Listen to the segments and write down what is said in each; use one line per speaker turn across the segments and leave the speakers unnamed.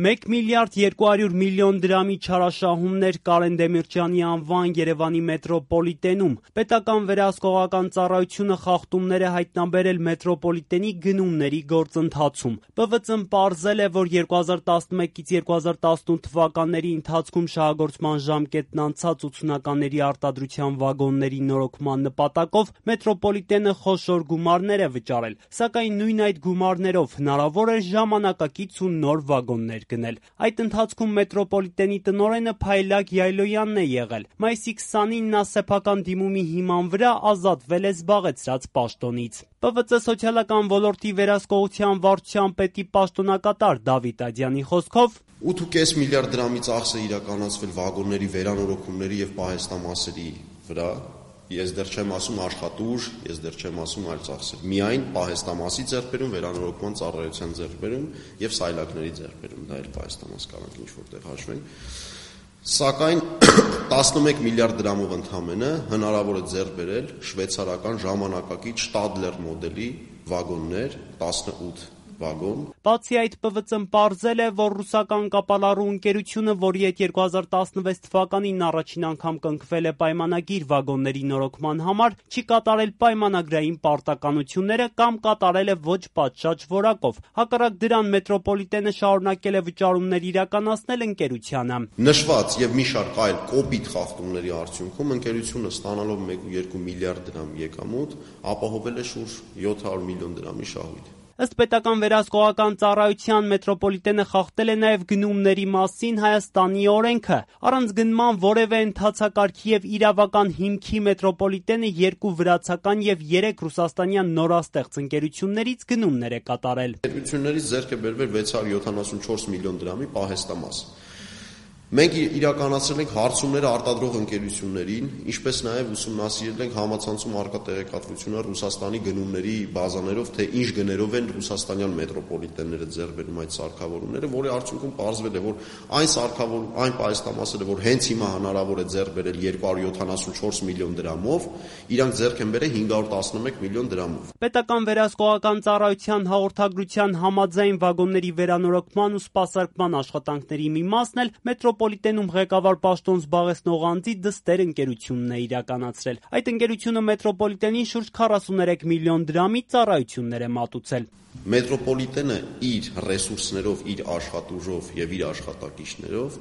1 միլիարդ 200 միլիոն դրամի չարաշահումներ Կարեն Դեմիրճյանի անվան Երևանի մետրոպոլիտենում։ Պետական վերահսկողական ծառայությունը խախտումներ է հայտնաբերել մետրոպոլիտենի գնումների գործընթացում։ ՊՎԾ-ն պարզել է, որ 2011-ից 2018 թվականների ընթացքում շահագործման ժամկետն անցած 80-ականների արտադրության վագոնների նորոգման նպատակով մետրոպոլիտենը խոշոր գումարներ է վճարել, սակայն նույն այդ գումարներով հնարավոր էր ժամանակակից ու նոր վագոններ գնել։ Այդ ընթացքում մետրոպոլիտենի տնօրենը Փայլակ Յայլոյանն է եղել։ Մայիսի 29-ին նա սեփական դիմումի հիման վրա ազատվել է զբաղեցրած պաշտոնից։ ՊՎԾ սոցիալական ոլորտի վերահսկողության վարչության պետի պաշտոնակատար Դավիթ Ադյանի խոսքով
8.5 միլիարդ դրամի ծախս է իրականացվել վագոնների վերանորոգումների եւ պահեստամասերի վրա։ Ես դեռ չեմ ասում աշխատուժ, ես դեռ չեմ ասում այլ ծախսեր։ Միայն պահեստամասի ձեռքբերում, վերանորոգման ծառայության ձեռքբերում եւ սայլակների ձեռքբերում, դա էլ պահեստամաս կարանք ինչ որտեղ հաշվենք։ Սակայն 11 միլիարդ դրամով ընդամենը հնարավոր է ձեռք բերել շվեյցարական ժամանակակից Stadler մոդելի վագոններ, 18 վագոն։
Բացի այդ, ՊՎԾ-ն պարզել է, որ ռուսական կապալառու ընկերությունը, որի հետ 2016 թվականին առաջին անգամ կնքվել է պայմանագիր վագոնների նորոգման համար, չի կատարել պայմանագրային պարտականությունները կամ կատարել է ոչ պատշաճ որակով։ Հակառակ դրան մետրոպոլիտենը շարունակել է վճարումներ իրականացնել ընկերությանը։
Նշված եւ մի շարք այլ կոպիտ խախտումների արդյունքում ընկերությունը ստանալով 1.2 միլիարդ դրամ եկամուտ ապահովել է շուրջ 700 միլիոն դրամի շահույթ։
Ըստ պետական վերահսկողական ծառայության մետրոպոլիտենը խախտել է նաև գնումների մասին Հայաստանի օրենքը։ Առանց գնման որևէ ընթացակարգի եւ իրավական հիմքի մետրոպոլիտենը 2 վրացական եւ 3 ռուսաստանյան նորաստեղծ ընկերություններից գնումներ է կատարել։
Ընկերություններից ձեռք է բերվել 674 միլիոն դրամի պահեստամաս։ Մենք իրականացրել ենք հարցումները արտադրող ընկերություններին, ինչպես նաև ուսումնասիրել ենք համացանցում առկա տեղեկատվությունը Ռուսաստանի գնումների բազաներով, թե ինչ գներով են ռուսաստանյան մետրոպոլիտենները ձեռք բերում այդ սարքավորումները, որի արդյունքում պարզվել է, որ այն պահեստամասերը, որ հենց հիմա հնարավոր է ձեռք բերել 274 միլիոն դրամով, իրանք ձեռք են բերել 511 միլիոն դրամով։
Պետական վերահսկողական ծառայության հաղորդագրության համաձայն վագոնների վերանորոգման ու սպասարկման աշխատանքների մի մասն էլ մետրոպոլիտենում ղեկավար պաշտոն զբաղեցնող անձի դստեր ընկերությունն է իրականացրել։ Այդ ընկերությունը մետրոպոլիտենին շուրջ 43 միլիոն դրամի ծառայություններ է մատուցել։
Մետրոպոլիտենը իր ռեսուրսներով, իր աշխատուժով եւ իր աշխատակիցներով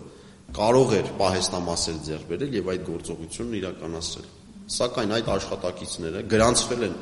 կարող էր պահեստամասեր ձեռք բերել եւ այդ գործողությունն իրականացնել։ Սակայն այդ աշխատակիցները գրանցվել են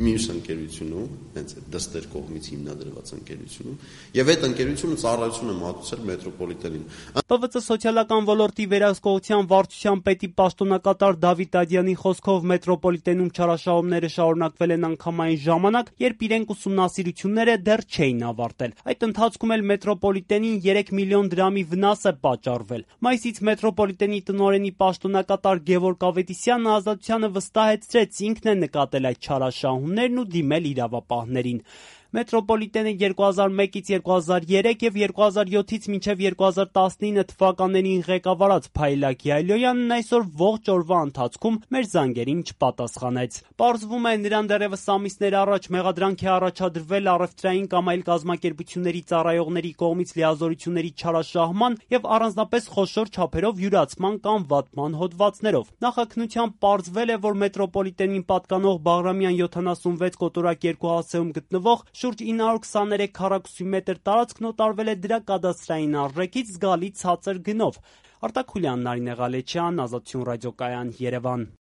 մյուս ընկերությունում, հենց դստեր կողմից հիմնադրված ընկերությունում, եւ այդ ընկերությունը ծառայություն է մատուցել մետրոպոլիտենին։
ՊՎԾ սոցիալական ոլորտի վերահսկողության վարչության պետի պաշտոնակատար Դավիթ Ադյանի խոսքով մետրոպոլիտենում չարաշահումները շարունակվել են անգամ այն ժամանակ, երբ իրենք ուսումնասիրությունները դեռ չէին ավարտել։ Այդ ընթացքում էլ մետրոպոլիտենին 3 միլիոն դրամի վնաս է պատճառվել։ Մայիսից մետրոպոլիտենի տնօրենի պաշտոնակատար Գևորգ Ավետիսյանը ազատությանը վստահեցրեց, ինքն է նկատել այդ չարաշահումներն ու դիմել իրավապահներին։ Մետրոպոլիտենը 2001-ից 2003 եւ 2007-ից մինչեւ 2019 թվականներին ղեկավարած Փայլակ Յայլոյանն այսօր ողջ օրվա ընթացքում մեր զանգերին չպատասխանեց։ Պարզվում է, նրան դեռևս ամիսներ առաջ մեղադրանք է առաջադրվել առևտրային կամ այլ կազմակերպությունների ծառայողների կողմից լիազորությունների չարաշահման եւ առանձնապես խոշոր չափերով յուրացման կամ վատման հոդվածներով։ Նախաքննությամբ պարզվել է, որ մետրոպոլիտենին պատկանող Բաղրամյան 76 կոտորակ 2 հասցեում գտնվող շուրջ 923 քառակուսի մետր տարածքն օտարվել է դրա կադաստրային արժեքից զգալի ցածր գնով։ Արտակ Խուլյան, Նարինե Ղալեչյան, Ազատություն ռադիոկայան, Երևան։